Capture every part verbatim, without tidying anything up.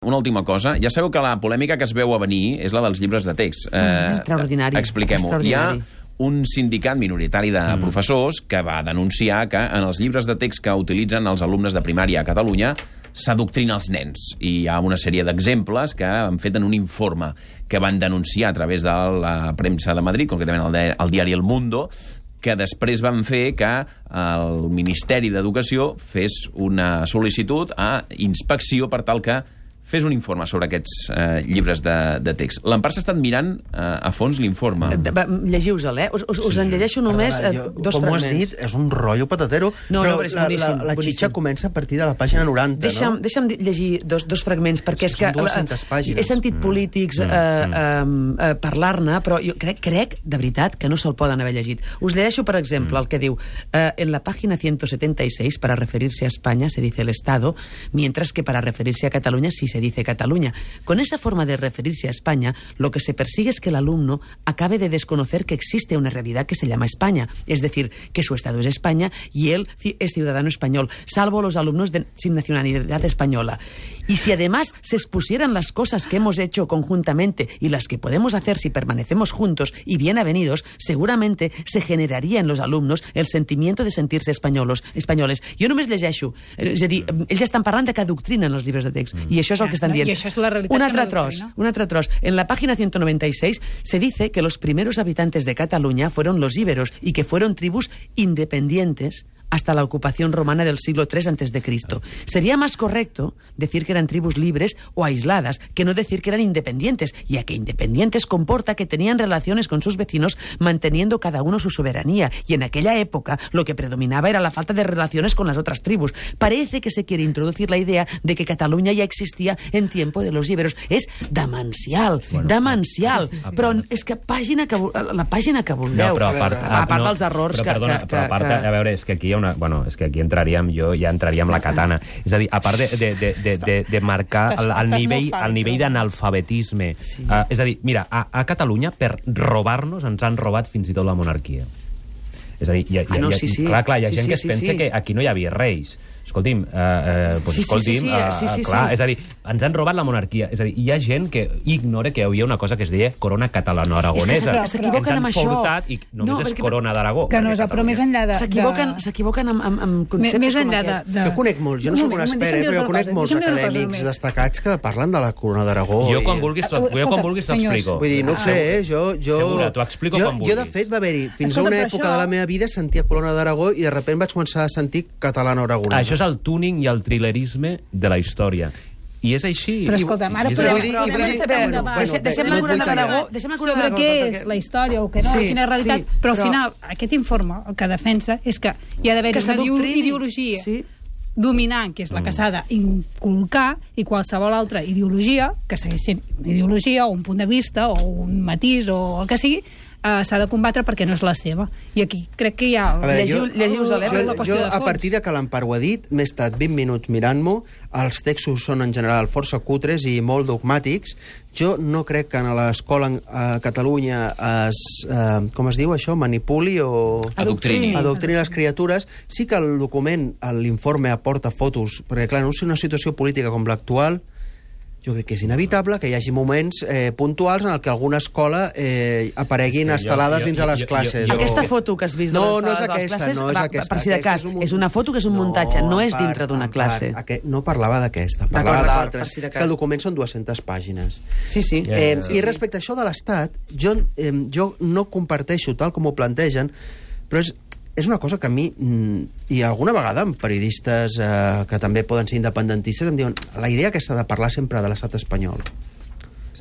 Una última cosa. Ja sabeu que la polèmica que es veu a venir és la dels llibres de text. Eh, extraordinari. Expliquem-ho. Hi ha un sindicat minoritari de mm. professors que va denunciar que en els llibres de text que utilitzen els alumnes de primària a Catalunya s'adoctrina els nens. I hi ha una sèrie d'exemples que han fet en un informe que van denunciar a través de la premsa de Madrid, concretament el, el diari El Mundo, que després van fer que el Ministeri d'Educació fes una sol·licitud a inspecció per tal que fes un informe sobre aquests eh, llibres de, de text. L'Empar s'ha estat mirant eh, a fons l'informe. Llegiu-se'l, eh? Us, us, us en llegeixo només eh, jo, dos com fragments. Com ho has dit, és un rotllo patatero, no, però, no, però és la, boníssim, la, la boníssim. xitxa comença a partir de la pàgina noranta, deixa'm, no? Deixa'm llegir dos, dos fragments, perquè és que... Són dues-centes pàgines. He sentit mm. polítics mm. Eh, eh, eh, parlar-ne, però jo crec, crec, de veritat, que no se'l poden haver llegit. Us llegeixo, per exemple, mm. el que diu eh, en la pàgina ciento setenta y seis, para referirse a España se dice el Estado, mientras que para referirse a Cataluña sí se dice Cataluña. Con esa forma de referirse a España, lo que se persigue es que el alumno acabe de desconocer que existe una realidad que se llama España, es decir, que su Estado es España y él es ciudadano español, salvo los alumnos de, sin nacionalidad española. Y si además se expusieran las cosas que hemos hecho conjuntamente y las que podemos hacer si permanecemos juntos y bien avenidos, seguramente se generaría en los alumnos el sentimiento de sentirse españolos, españoles. Jo només llegeixo, és a dir, ells ja estan parlant de que adoctrinen els llibres de text, mm. i això és el que estan dient. I això és la realitat. Un altre tros, un altre tros. En la página ciento noventa y seis se dice que los primeros habitantes de Cataluña fueron los íberos y que fueron tribus independientes hasta la ocupación romana del siglo tres antes de Cristo. Sería más correcto decir que eran tribus libres o aisladas que no decir que eran independientes, ya que independientes comporta que tenían relaciones con sus vecinos manteniendo cada uno su soberanía, y en aquella época lo que predominaba era la falta de relaciones con las otras tribus. Parece que se quiere introducir la idea de que Cataluña ya existía en tiempo de los íberos. És demencial, bueno, demencial. Sí, sí, sí. Però és que pàgina que, la pàgina que vulgueu, no, però a part, a part no, dels errors però, que, perdona, que, però a part, que... a veure, és que aquí hi ha una... Bueno, és que aquí entraríem, jo ja entraríem la katana. És a dir, a part de, de, de, de, de, de marcar el, el nivell, el nivell d'analfabetisme. Sí. Uh, és a dir, mira, a, a Catalunya, per robar-nos, ens han robat fins i tot la monarquia. És a dir, hi ha, hi ha, ah, no, hi ha, sí, sí. clar, clar, hi ha sí, gent sí, que es sí, pensa sí. que aquí no hi havia reis. Escolti'm, eh, eh, pues, sí, sí, escolti'm, sí, sí, eh, sí, sí, clar, sí. és a dir, ens han robat la monarquia. És a dir, hi ha gent que ignora que hi havia una cosa que es deia corona catalano-aragonesa. És que s'equivoquen amb això. Fortat i només no, és corona d'Aragó. Que no és, però més enllà de... S'equivoquen s'equivoquen amb, amb, amb conceptes més com enllà aquest. De, de... Jo conec molts, jo no soc un expert, però jo conec molts acadèmics destacats que parlen de la corona d'Aragó. Jo quan vulguis t'explico. Vull dir, no ho sé, eh? Jo, jo, Segura, t'ho explico quan vulguis. Jo, de fet, va haver-hi, fins a una època de la meva vida sentia corona d'Aragó i de sobte vaig començar a sentir catalano-aragonès. Això és el tuning i el trilerisme de la història. I és així. Però escolta'm, ara podem... Deixem la corona d'Aragó... Sobre què és la història o què no, quina és la realitat. Però al final, aquest informe el que defensa és que hi ha d'haver una ideologia dominant, que és la que s'ha d'inculcar, i qualsevol altra ideologia, que segueix sent una ideologia o un punt de vista o un matís o el que sigui, Uh, s'ha de combatre perquè no és la seva. I aquí crec que hi ha... Veure, jo, llegiu, jo, jo, a partir de que l'Empar ho ha dit, m'he estat vint minuts mirant-m'ho, els textos són en general força cutres i molt dogmàtics. Jo no crec que a l'escola a Catalunya es, eh, com es diu això, manipuli o... Adoctrini. Adoctrini les criatures. Sí que el document, l'informe aporta fotos, perquè clar, no és una situació política com l'actual. Jo crec que és inevitable que hi hagi moments eh, puntuals en el que alguna escola eh, apareguin sí, instal·lades jo, jo, dins a les classes. Jo, jo, jo... Aquesta foto que has vist no, de les, no és de les aquesta, classes, no és va, aquesta. Per si de cas, és, un... és una foto que és un no, muntatge, no és dintre d'una classe. Aquest, no parlava d'aquesta, parlava d'altres. Si és que el document són dues-centes pàgines. Sí, sí. Eh, sí, sí. I respecte a això de l'Estat, jo, eh, jo no comparteixo tal com ho plantegen, però és és una cosa que a mi, i alguna vegada amb periodistes eh, que també poden ser independentistes, em diuen la idea aquesta de parlar sempre de l'estat espanyol.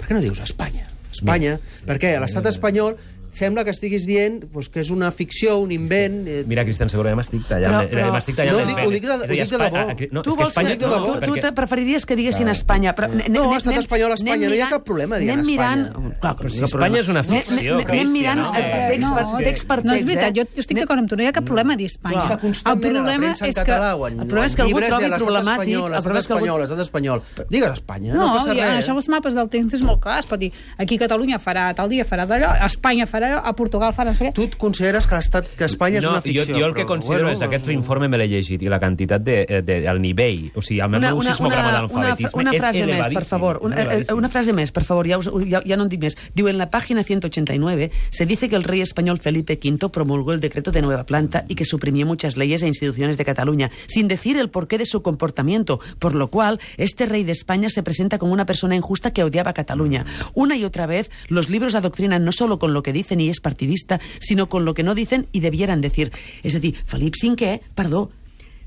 Per què no dius Espanya? Espanya, perquè a l'estat espanyol sembla que estiguis dient pues, que és una ficció, un invent... Eh... Mira, Cristian, segurament m'estic tallant. Però, però... M'estic tallant no, dic, ho dic de, ho dic de debò. No, tu vols que, que tu, tu te preferiries que diguessin Espanya, però... No, estat espanyol, Espanya, no hi ha cap problema dient Espanya. Clar, però si Espanya és una ficció, anem mirant text per text. No, és veritat, jo estic d'acord amb tu, no hi ha cap problema a dir Espanya. El problema és que... El problema és que algú trobi problemàtic... L'estat espanyol, l'estat espanyol... Digues Espanya, no passa res. No, això els mapes del temps és molt clar, es pot dir aquí Catalunya farà tal dia, farà d'allò, Espanya farà farà a Portugal, fa no sé què. Tu et consideres que l'estat que Espanya és no, una ficció? Jo, jo el que però, considero bueno, és aquest informe me l'he llegit i la quantitat de, de, el nivell, o sigui, el meu sismograma d'alfabetisme una és frase elevadíssim. Més, per favor, una, una frase més, per favor, ja, us, ja, ja no en dic més. Diu, en la página ciento ochenta y nueve se dice que el rey español Felipe quinto promulgó el decreto de nueva planta y que suprimió muchas leyes e instituciones de Cataluña, sin decir el porqué de su comportamiento, por lo cual este rey de España se presenta como una persona injusta que odiaba a Cataluña. Una y otra vez, los libros adoctrinan no solo con lo que dicen y es partidista, sino con lo que no dicen y debieran decir. És a dir, Felip cinquè, perdó,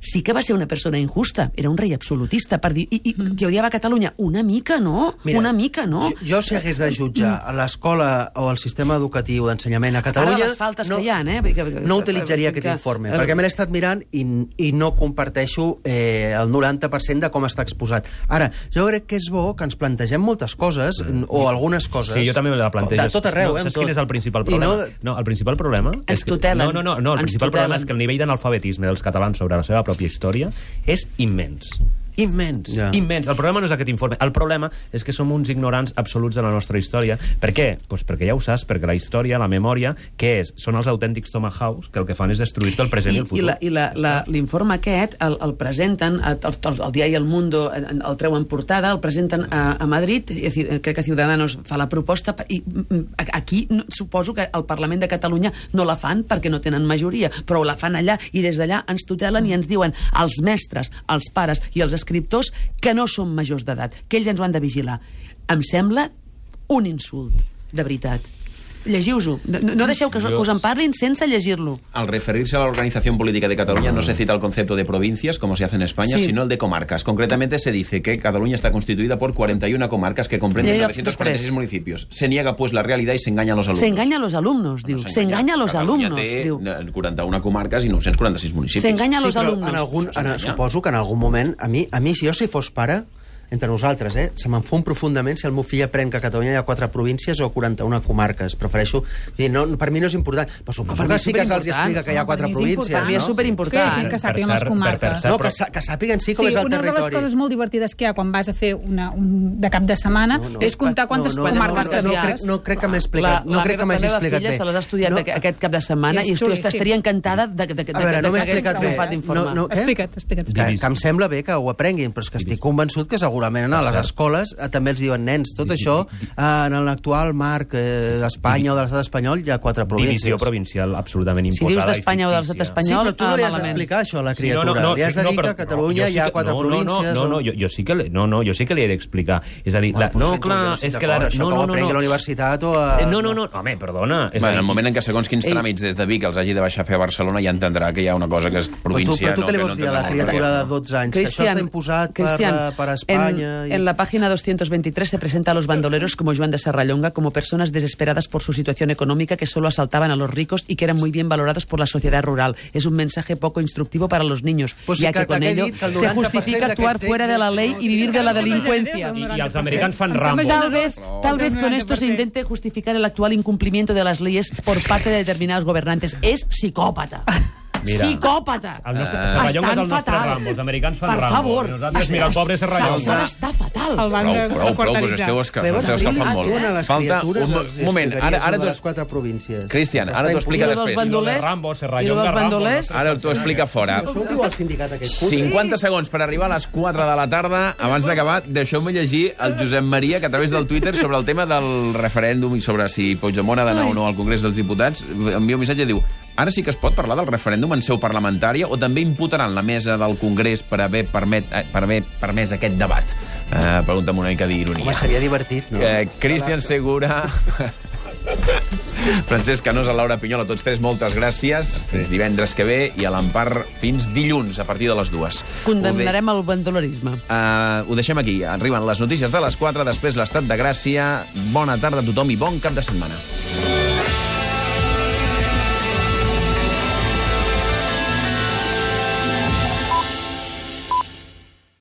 sí que va ser una persona injusta, era un rei absolutista, per dir, i, i, que odiava Catalunya. Una mica, no? Mira, una mica, no? Jo, jo si hagués de jutjar a l'escola o al sistema educatiu d'ensenyament a Catalunya... Ara les faltes no, que hi ha, eh? Que, no utilitzaria que, aquest informe, que, perquè me l'he estat mirant i, i no comparteixo eh, el noranta per cent de com està exposat. Ara, jo crec que és bo que ens plantegem moltes coses, mm. o algunes coses... Sí, jo també me la plantejo. De tot arreu, no, eh? Saps quin és el principal problema? No, no, el principal problema... Ens tutelen. No, no, no, no el ens principal tutelen. problema és que el nivell d'analfabetisme dels catalans sobre la seva pròpia història és immens. Immens, ja. immens. El problema no és aquest informe. El problema és que som uns ignorants absoluts de la nostra història. Per què? Pues perquè ja ho saps, perquè la història, la memòria, què és? Són els autèntics tomahawks que el que fan és destruir-te el present i, i el futur. I l'informe aquest el, el presenten, el, el, el diari El Mundo el, el treuen portada, el presenten a, a Madrid, crec que Ciudadanos fa la proposta, i aquí no, suposo que el Parlament de Catalunya no la fan perquè no tenen majoria, però la fan allà, i des d'allà ens tutelen i ens diuen als mestres, als pares i als escriptors que no són majors d'edat, que ells ens ho han de vigilar. Em sembla un insult, de veritat. Llegiu-ho. No, no deixeu que, que us en parlin sense llegir-lo. Al referirse a la Organización Política de Cataluña no se cita el concepto de provincias, como se hace en España, sí. sino el de comarcas. Concretamente se dice que Cataluña está constituida por cuarenta y una comarcas que comprenden novecientos cuarenta y seis municipios. Se niega pues la realidad y se engaña a los alumnos. Se engaña a los alumnos, diu. Se engaña a los alumnos, diu. quaranta una comarques i nou-cents quaranta-sis municipis. Se engaña a los sí, alumnos. En algun, en, suposo que en algun moment, a mi, a mi si jo si fos pare, entre nosaltres, eh? Se m'enfon profundament si el meu fill aprèn que a Catalunya hi ha quatre províncies o quaranta-una comarques. Prefereixo... No, per mi no és important. Però suposo que sí que se'ls explica que hi ha quatre províncies. Per mi és superimportant. Que sàpiguen les comarques. No, que, que sàpiguen sí com és el territori. Una de les coses molt divertides que hi ha quan vas a fer una, un, de cap de setmana no, no, és comptar quantes no, no, comarques no, no, no, crec, no crec que m'he explicat, no crec que m'hagi explicat bé. La meva filla se l'ha estudiat no, aquest cap de setmana i estaria encantada de que hagués triomfat d'informar. Explica't, explica't. Que em sembla bé que ho aprenguin, però és que estic convençut que segurament a les escoles també els diuen, nens, tot això en l'actual marc d'Espanya o de l'estat espanyol hi ha quatre províncies. Divisió provincial absolutament imposada. Si dius d'Espanya o de l'estat espanyol... Sí, però tu no li has d'explicar això a la criatura. Li has de dir que a Catalunya hi ha quatre províncies... No, no, jo sí que no, no, jo sí que li he d'explicar. És a dir, no, clar, és que... Això que ho aprengui a la universitat o a... No, no, no, home, perdona. En el moment en què segons quins tràmits des de Vic els hagi de baixar a fer a Barcelona ja entendrà que hi ha una cosa que és província. Però tu què li vols dir a la criatura de dotze anys? Que això està imposat per Espanya... En la página doscientos veintitrés se presenta a los bandoleros como Joan de Serrallonga como personas desesperadas por su situación económica que solo asaltaban a los ricos y que eran muy bien valorados por la sociedad rural. Es un mensaje poco instructivo para los niños, pues ya que, que con ello se justifica actuar fuera de la ley y vivir de la delincuencia. Y, y els americans fan Rambo. Tal vez, tal vez con esto se intente justificar el actual incumplimiento de las leyes por parte de determinados gobernantes. Es psicòpata. Mira, psicòpata. El nostre uh, Serrallonga és el nostre Rambo. Els americans fan per Rambo. Favor. I nosaltres, mira, el pobre Serrallonga. S'ha d'estar fatal. Prou, prou, prou, pues esteu escalfant molt. Falta un moment. Ara, ara tu... les quatre províncies. Cristian, ara t'ho explica després. Rambo, Serrallonga, Rambo. Ara t'ho explica fora. cinquanta segons per arribar a les quatre de la tarda. Abans d'acabar, deixeu-me llegir el Josep Maria, que a través del Twitter, sobre el tema del referèndum i sobre si Puigdemont ha d'anar o no al Congrés dels Diputats, envia un missatge i diu: ara sí que es pot parlar del referèndum en seu parlamentària o també imputaran la mesa del Congrés per haver, permet, per haver permès aquest debat? Uh, pregunta amb una mica d'ironia. Home, seria divertit, no? Uh, Cristian Segura... Francesc Canosa, Laura Pinyol, a tots tres, moltes gràcies. Fins divendres que ve i a l'Empar fins dilluns, a partir de les dues. Condemnarem el bandolerisme. Uh, ho deixem aquí. Arriben les notícies de les quatre, després l'estat de Gràcia. Bona tarda a tothom i bon cap de setmana.